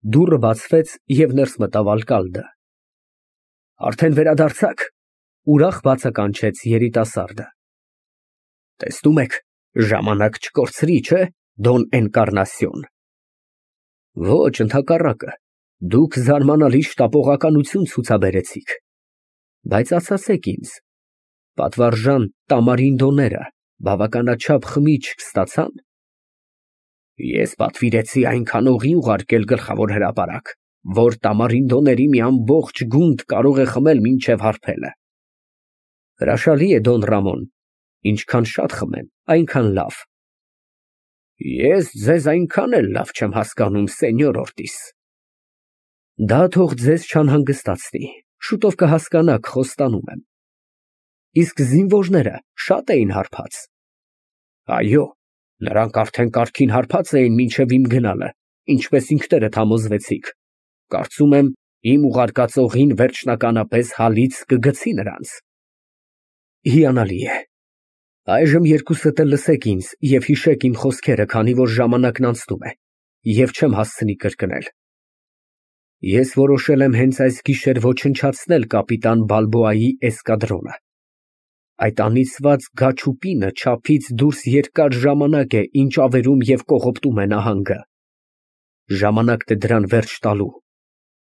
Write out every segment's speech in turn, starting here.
Դուռը բացվեց և ներս մտավ Ալկալդը։ Արդեն վերադարձա՞ք, ուրախ բացականչեց երիտասարդը։ Տեսնում եք, ժամանակ չկորցրի, չէ՞, Դոն Էնկառնասիոն։ Ոչ, ընդհակառակը, դուք զարմանալի շտապողականություն ցուցաբերեցիք։ Բայց ասացեք ինձ, պատվարժան Տամարինդոները բավականաչափ խմիչք ստացա՞ն։ Ես պատվիրեցի այնքան օղի ուղարկել գլխավոր հրապարակ, որ Տամարինդոների մի ամբողջ գունդ կարող է խմել մինչև հարբելը։ Հրաշալի է, Դոն Ռամոն, ինչքան շատ խմեն, այնքան լավ։ Ես ձեզ այնքան էլ լավ չեմ հասկանում, Սենյոր Օրտիս։ Դա թող ձեզ չանհանգստացնի, շուտով կհասկանաք, խոստանում եմ։ Իսկ զինվորները շա՞տ էին հարբած։ Այո, նրանք արդեն կարգին հարբած էին մինչև իմ գնալը, ինչպես ինքներդ համոզվեցիք։ Կարծում եմ, իմ ուղարկած օղին վերջնականապես հալից կգցի նրանց։ Հիանալի է։ Այժմ երկուսդ էլ լսեք ինձ և հիշեք իմ խոսքերը, քանի որ ժամանակն անցնում է, և չեմ հասցնի կրկնել։ Ես որոշել եմ հենց այս գիշեր ոչնչացնել կապիտան Բալբոայի էսկադրոնը։ Այդ անիծված գաչուպինը չափից դուրս երկար ժամանակ է ինչ ավերում և կողոպտում է նահանգը։ Ժամանակն է դրան վերջ տալու։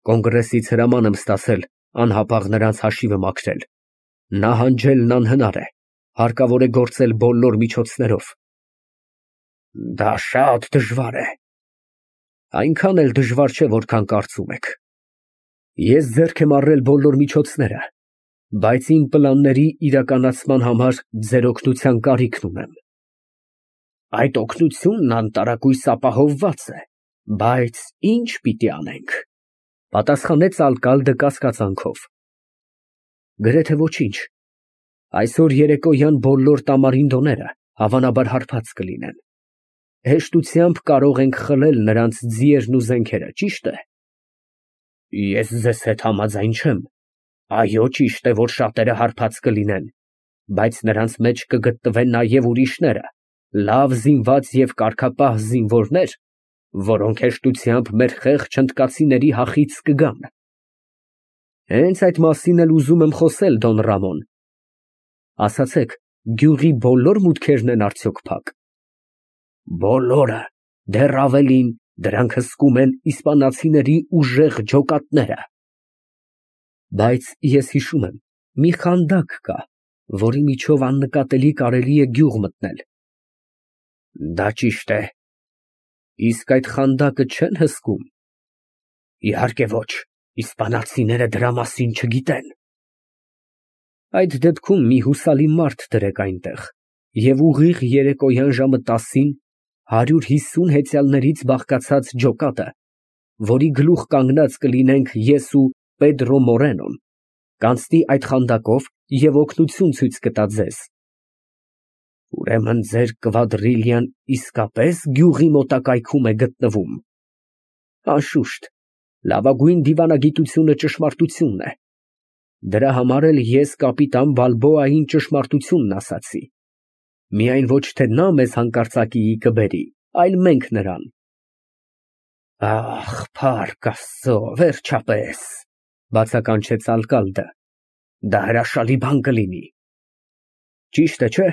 Կոնգրեսից հրաման եմ ստացել անհապաղ նրանց հաշիվը մաքրել։ Նահանջելն անհնար է, հարկավոր է գործել բոլոր միջոցներով։ Դա շատ դժվար է։ Այնքան էլ դժվար չէ, որքան կարծում եք։ Ես ձեռք եմ առել բոլոր միջոցները, բայց իմ պլանների իրականացման համար ձեր օգնության կարիքն ունեմ։ Այդ օգնությունն անտարակույս ապահովված է, բայց ի՞նչ պիտի անենք, պատասխանեց ալկալդը կասկածանքով։ Գրեթե ոչինչ։ Այսօր երեկոյան բոլոր Տամարինդոները հավանաբար հարբած կլինեն։ Հեշտությամբ կարող ենք խլել նրանց ձիերն ու զենքերը, ճի՞շտ է։ Ես ձեզ հետ համաձայն չեմ։ Այո, ճիշտ է, որ շատերը հարբած կլինեն, բայց նրանց մեջ կգտնվեն նաև ուրիշները, լավ զինված և կարգապահ զինվորներ, որոնք հեշտությամբ մեր խեղճ հնդկացիների հախից կգան։ Հենց այդ մասին էլ ուզում եմ խոսել, Դոն Ռամոն։ Ասացեք, գյուղի բոլոր մուտքերն են արդյոք փակ։ Բոլորը, դեռ ավելին, դրանք հսկում են իսպանացիների ուժեղ ջոկատները։ Բայց ես հիշում եմ, մի խանդակ կա, որի միջով աննկատելի կարելի է գյուղ մտնել։ Դա ճիշտ է։ Իսկ այդ խանդակը չե՞ն հսկում։ Իհարկե ոչ, իսպանացիները դրա մասին չգիտեն։ Այդ դեպքում մի հուսալի մարդ դրեք այնտեղ և ուղիղ երեկոյան ժամը 10-ին 150 հեծյալներից բաղկացած ջոկատը, որի գլուխ կանգնած կլինենք ես ու Պեդրո Մորենոն, կանցնի այդ խանդակով և օգնություն ցույց կտա ձեզ։ Ուրեմն ձեր կվադրիլիան իսկապես գյուղի մոտակայքում է գտնվում։ Անշուշտ, լավագույն դիվանագիտությունը ճշմարտությունն է։ Դրա համար էլ ես կապիտան Բալբոային ճշմարտությունն ասացի։ Միայն ոչ թե նա մեզ հանկարծակիի կբերի, այլ մենք նրան։ Ախ, փառք Աստծո, վերջապես, բացականչեց ալկալդը։ Դա հրաշալի բան կլինի։ Ճիշտ է, չէ՞,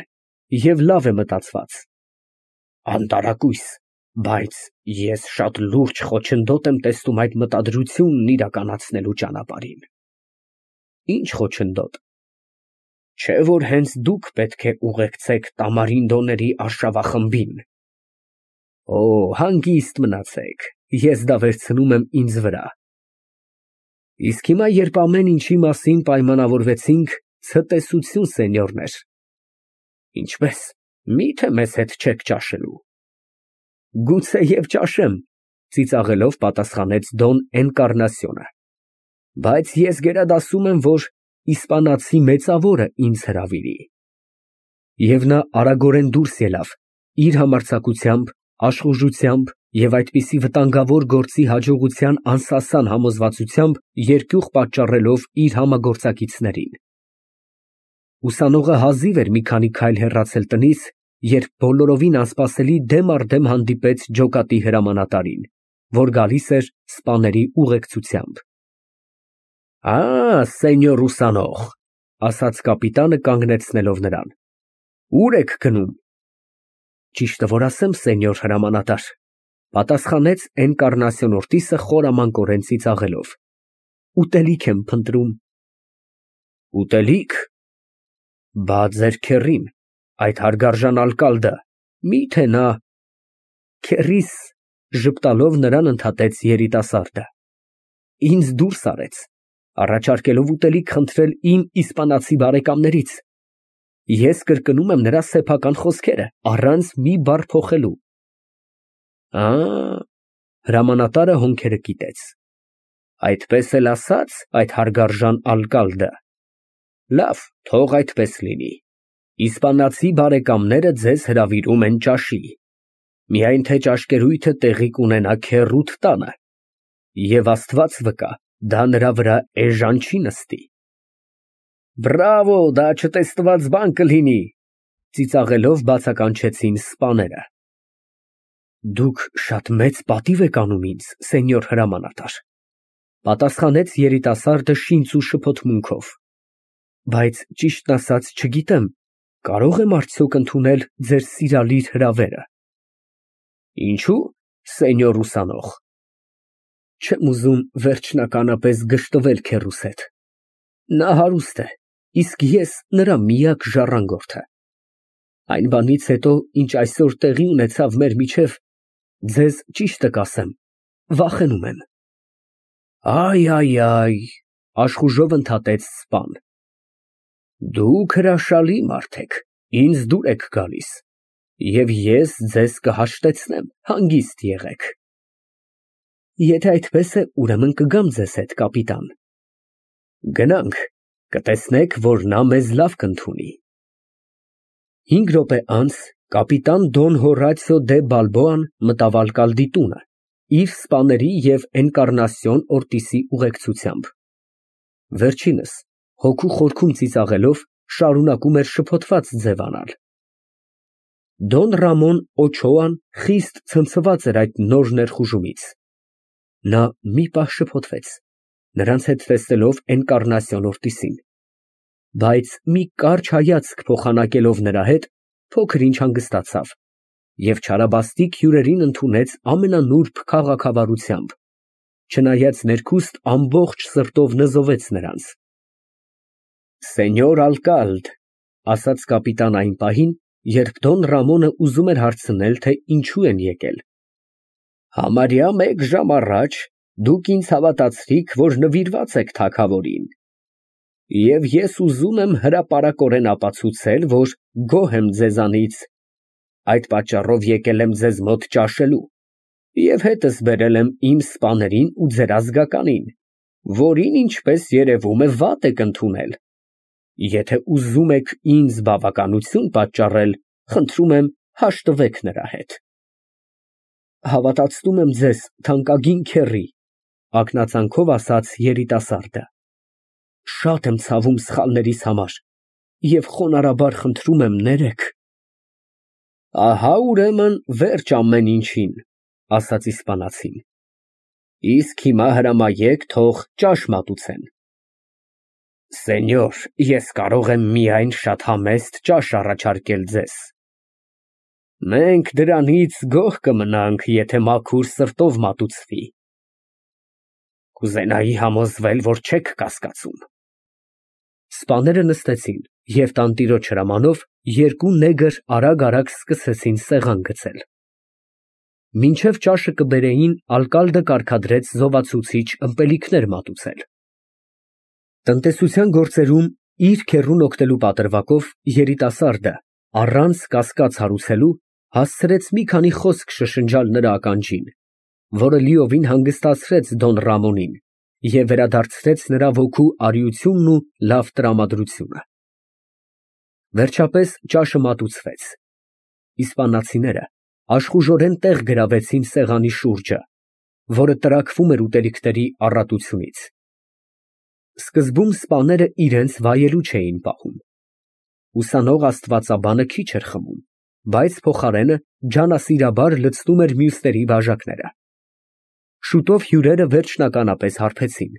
և լավ է մտածված։ Անտարակույս, բայց ես շատ լուրջ խոչընդոտ եմ տեսնում այդ մտադրությունն իրականացնելու ճանապարհին։ Ինչ խոչընդոտ։ Չէ՞ որ հենց դուք պետք է ուղեկցեք Տամարինդոների արշավախմբին։ Օ, հանգիստ մնացեք, ես դա վերցնում եմ ինձ վրա։ Իսկ հիմա, երբ ամեն ինչի մասին պայմանավորվեցինք, ցտեսություն, սենյորներ։ Ինչպե՞ս, մի՞թե մեզ հետ չեք ճաշելու։ Գուցեև ճաշեմ, ծիծաղելով պատասխանեց Դոն Էնկառնասիոնը։ Բայց ես գերադասում եմ, որ իսպանացի մեծավորը ինձ հրավիրի։ Եվ նա արագորեն դուրս ելավ, իր համարձակությամբ, աշխուժությամբ և այդպիսի վտանգավոր գործի հաջողության անսասան համոզվածությամբ երկյուղ պատճառելով իր համագործակիցներին։ Ուսանողը հազիվ էր մի քանի քայլ հեռացել տնից, երբ բոլորովին անսպասելի դեմ առ դեմ հանդիպեց ջոկատի հրամանատարին։ որ գալիս էր սպաների ուղեկցությամբ։ Սենյոր ուսանող, ասաց կապիտանը կանգնեցնելով նրան, ուր եք գնում։ Ճիշտը որ ասեմ, սենյոր հրամանատար, պատասխանեց Էնկառնասիոն Օրտիսը խորամանկորեն ծիծաղելով, ուտելիք եմ փնտրում։ Ուտելիք։ Բա ձեր քեռին, այդ հարգարժան ալկալդը, միթե նա… Քեռիս, ժպտալով նրան ընդհատեց երիտասարդը, ինձ դուրս արեց, առաջարկելով ուտելիք խնդրել իմ իսպանացի բարեկամներից։ Ես կրկնում եմ նրա սեփական խոսքերը, առանց մի բառ փոխելու։ Հրամանատարը հոնքերը կիտեց։ Այդպես էլ ասաց այդ հարգարժան ալկալդը։ Լավ, թող այդպես լինի։ Իսպանացի բարեկամները ձեզ հրավիրում են ճաշի։ Միայն թե ճաշկերույթը տեղի կունենա քեռուդ տանը։ Եվ Աստված վկա, դա նրա վրա էժան չի նստի։ Բրավո, դա չտեսնված բան կլինի, ծիծաղելով բացականչեցին սպաները։ Դուք շատ մեծ պատիվ եք անում ինձ, սենյոր հրամանատար, պատասխանեց երիտասարդը շինծու շփոթմունքով, բայց ճիշտն ասած չգիտեմ, կարող եմ արդյոք ընդունել ձեր սիրալիր հրավերը։ Ինչու՞, սենյոր ուսանող։ Չեմ ուզում վերջնականապես գժտվել քեռուս հետ։ Նա հարուստ է, իսկ ես նրա միակ ժառանգորդը։ Այն բանից հետո, ինչ այսօր տեղի ունեցավ մեր միջև, ձեզ ճիշտը կասեմ, վախենում եմ։ Այ, աշխուժով ընդհատեց սպան։ Դուք հրաշալի մարդ եք, ինձ դուր եք գալիս, և ես ձեզ կհաշտեցնեմ, հանգիստ եղեք։ Եթե այդպես է, ուրեմն կգամ ձեզ հետ, կապիտան։ Գնանք, կտեսնեք, որ նա մեզ լավ կընդունի։ 5 րոպե անց կապիտան Դոն Հորացիո դե Բալբոան մտավ ալկալդի տունը, իր սպաների և Էնկառնասիոն Օրտիսի ուղեկցությամբ։ Վերջինս, հոգու խորքում ծիծաղելով, շարունակում էր շփոթված ձևանալ։ Դոն Ռամոն Օչոան խիստ ցնցված էր այդ նոր ներխուժումից։ Նա մի պահ շփոթվեց, նրանց հետ տեսնելով Էնկառնասիոն Օրտիսին, բայց մի կարճ հայացք փոխանակելով նրա հետ, փոքր ինչ հանգստացավ և չարաբաստիկ հյուրերին ընդունեց ամենանուրբ քաղաքավարությամբ, չնայած ներքուստ ամբողջ սրտով նզովեց նրանց։ Սենյոր ալկալդ, ասաց կապիտան այն պահին, երբ Դոն Ռամոնը ուզում էր հարցնել, թե ինչու են եկել։ Համարյա 1 ժամ առաջ դուք ինձ հավատացրիք, որ նվիրված եք թագավորին, և ես ուզում եմ հրապարակորեն ապացուցել, որ գոհ եմ ձեզանից, այդ պատճառով եկել եմ ձեզ մոտ ճաշելու և հետս բերել եմ իմ սպաներին ու ձեր ազգականին, որին, ինչպես երևում է, վատ եք ընդունել։ Եթե ուզում եք ինձ բավականություն պատճառել, խնդրում եմ հաշտվեք նրա հետ։ Հավատացնում եմ ձեզ, թանկագին քեռի, ակնածանքով ասաց երիտասարդը։ Շատ եմ ցավում սխալներիս համար և խոնարհաբար խնդրում եմ ներեք։ Ահա ուրեմն վերջ ամեն ինչին, ասաց իսպանացին։ Իսկ հիմա հրամայեք, թող ճաշ մատուցեն։ Սենյոր, ես կարող եմ միայն շատ համեստ ճաշ առաջարկել ձեզ։ Մենք դրանից գոհ կմնանք, եթե մաքուր սրտով մատուցվի։ Կուզենայի համոզվել, որ չեք կասկածում։ Սպաները նստեցին և տանտիրոջ հրամանով երկու նեգր արագ սկսեցին սեղան գցել։ Մինչև ճաշը կբերեին, ալկալդը կարգադրեց զովացուցիչ ըմպելիքներ մատուցել։ Տնտեսության գործերում իր քեռուն օգնելու պատրվակով երիտասարդը, առանց կասկած հարուցելու, հասցրեց մի քանի խոսք շշնջալ նրա ականջին, որը լիովին հանգստացրեց Դոն Ռամոնին և վերադարձրեց նրա ոգու արիությունն ու լավ տրամադրությունը։ Վերջապես ճաշը մատուցվեց։ Իսպանացիները աշխուժորեն տեղ գրավեցին սեղանի շուրջը, որը տրաքվում էր ուտելիքների առատությունից։ Սկզբում սպաները իրենց վայելու չէին պահում։ Ուսանող աստվածաբանը քիչ էր խմում, բայց փոխարենը ջանասիրաբար լցնում էր մյուսների բաժակները։ Շուտով հյուրերը վերջնականապես հարբեցին։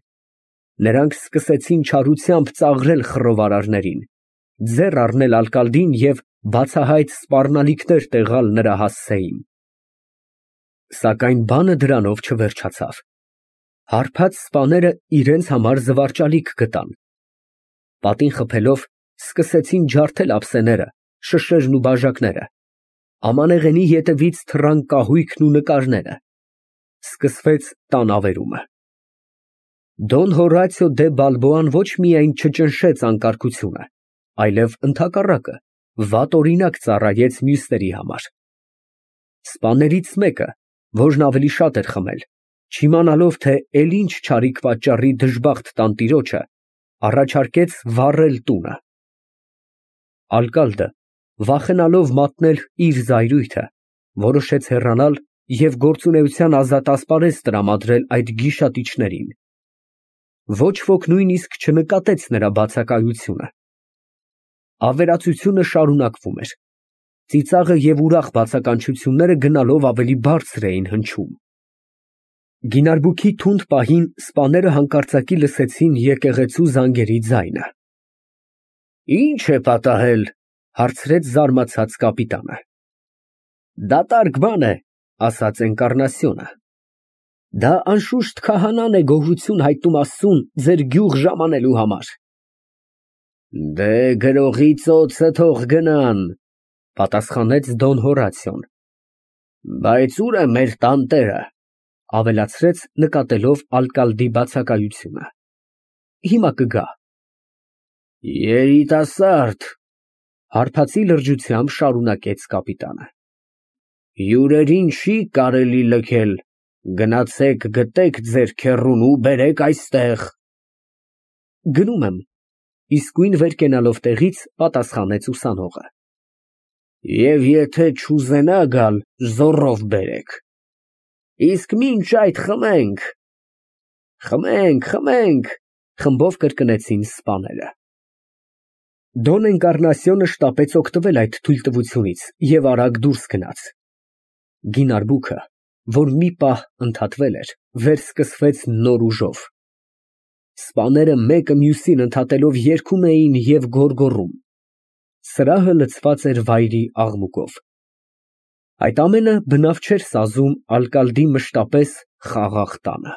Նրանք սկսեցին չարությամբ ծաղրել խռովարարներին, ձեռ առնել ալկալդին և բացահայտ սպառնալիքներ տեղալ նրա հասցեին։ Սակայն բանը դրանով չվերջացավ։ Հարբած սպաները իրենց համար զվարճալիք գտան։ Պատին խփելով սկսեցին ջարդել ափսեները, շշերն ու բաժակները, ամանեղենի ետևից թռան կահույքն ու նկարները։ Սկսվեց տան ավերումը։ Դոն Հորատիո դե Բալբոան ոչ միայն չճնշեց անկարգությունը, այլև ընդհակառակը, վատ օրինակ ծառայեց մյուսների համար։ Սպաներից մեկը, որն ավելի շատ էր խմել, չիմանալով, թե էլ ինչ չարիք պատճառի դժբախտ տանտիրոջը, առաջարկեց վառել տունը։ Ալկալդը, վախենալով մատնել իր զայրույթը, որոշեց հեռանալ և գործունեության ազատ ասպարեզ տրամադրել այդ գիշատիչներին։ Ոչ ոք նույնիսկ չնկատեց նրա բացակայությունը։ Ավերածությունը շարունակվում էր։ Ծիծաղը և ուրախ բացականչությունները գնալով ավելի բարձր էին հնչում։ Գինարբուքի թունդ պահին սպաները հանկարծակի լսեցին եկեղեցու զանգերի ձայնը։ «Ի՞նչ է պատահել», հարցրեց զարմացած կապիտանը։ «Դատարկ բան է», ասաց Էնկառնասիոնը։ «Դա անշուշտ քահանան է գոհություն հայտնում Աստծուն ձեր գյուղ ժամանելու համար»։ «Դե, գրողի ծոցը թող գնան», պատասխանեց Դոն Հորատիոն։ «Բայց ո՞ւր է մեր տանտերը», ավելացրեց, նկատելով ալկալդի բացակայությունը։ «Հիմա կգա»։ «Երիտասարդ», հարբածի լրջությամբ շարունակեց կապիտանը, «հյուրերին չի կարելի լքել, գնացեք գտեք ձեր քեռուն ու բերեք այստեղ»։ «Գնում եմ», իսկույն վեր կենալով տեղից, պատասխանեց ուսանողը։ «Եվ եթե չուզենա գալ, զոռով բերեք։ Իսկ մինչ այդ խմենք»։ «Խմենք, խմենք», խմբով կրկնեցին սպաները։ Դոն Էնկառնասիոնը շտապեց օգտվել այդ թույլտվությունից և արագ դուրս գնաց։ Գինարբուքը, որ մի պահ ընդհատվել էր, վերսկսվեց նոր ուժով։ Սպաները մեկը մյուսին ընդհատելով երգում էին և գոռգոռում։ Սրահը լցված էր վայրի աղմուկով։ Այդ ամենը բնավ չէր սազում ալկալդի մշտապես խաղաղ տանը։